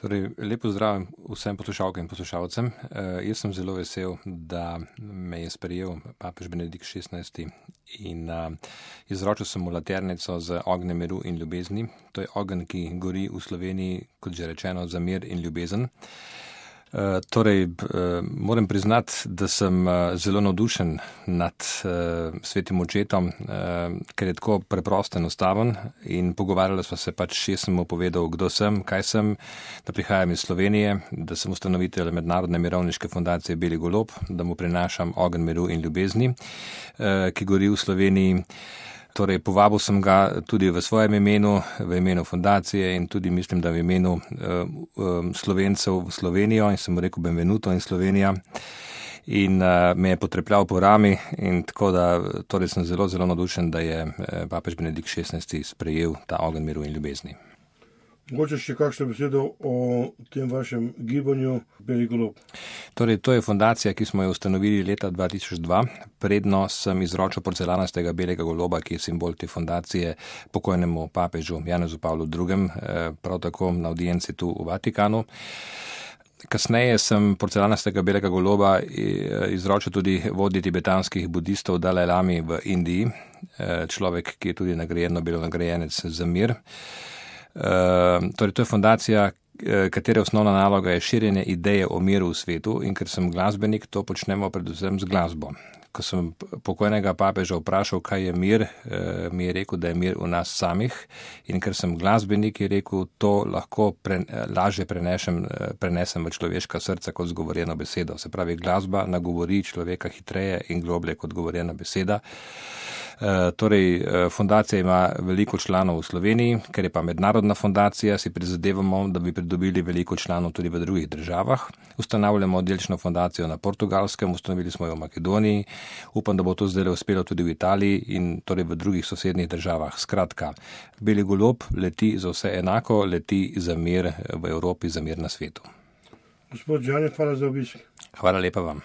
Torej, lepo zdrav vsem poslušalkam in poslušalcem. Jaz sem zelo vesel, da me je sprejel papež Benedikt XVI in izročil sem mu laternico z ognjem miru in ljubezni. To je ogenj, ki gori v Sloveniji, kot že rečeno, za mir in ljubezen. Moram priznati, da sem zelo navdušen nad svetim očetom, ker je tako preprosto enostaven in pogovarjali smo se jaz sem mu povedal, kdo sem, kaj sem, da prihajam iz Slovenije, da sem ustanovitelj Mednarodne mirovniške fundacije Beli golob, da mu prinašam ogenj miru in ljubezni, ki gori v Sloveniji. Torej, povabil sem ga tudi v svojem imenu, v imenu fundacije in tudi mislim, da v imenu Slovencev v Slovenijo in sem mu rekel benvenuto in Slovenija in me je potrepljal po rami in tako da torej sem zelo, zelo navdušen, da je papež Benedikt XVI sprejel ta ogenj miru in ljubezni. Mogoče še kakšno besedo o tem vašem gibanju Beli golob? Torej, to je fundacija, ki smo jo ustanovili leta 2002. Predno sem izročil porcelanastega belega goloba, ki je simbol te fundacije, pokojnemu papežu Janezu Pavlu II., prav tako na audienci tu v Vatikanu. Kasneje sem porcelanastega belega goloba izročil tudi vodji tibetanskih budistov Dalaj Lami v Indiji, človek, ki je tudi nagrajen Nobelov nagrajenec za mir. Torej, to je fundacija, katere osnovna naloga je širjenje ideje o miru v svetu in ker sem glasbenik, to počnemo predvsem z glasbo. Ko sem pokojnega papeža vprašal, kaj je mir, mi je rekel, da je mir v nas samih in ker sem glasbenik, je rekel, to lahko lažje prenesem v človeška srca kot zgovorjeno besedo. Se pravi, glasba nagovori človeka hitreje in globlje kot govorjena beseda. Fundacija ima veliko članov v Sloveniji, ker je pa mednarodna fundacija, si prizadevamo, da bi pridobili veliko članov tudi v drugih državah. Ustanavljamo oddelčno fundacijo na Portugalskem, ustanovili smo jo v Makedoniji, upam, da bo to zdaj uspelo tudi v Italiji in torej v drugih sosednjih državah. Skratka, Beli golob leti za vse enako, leti za mir v Evropi, za mir na svetu. Gospod Žan, hvala za obisk. Hvala lepa vam.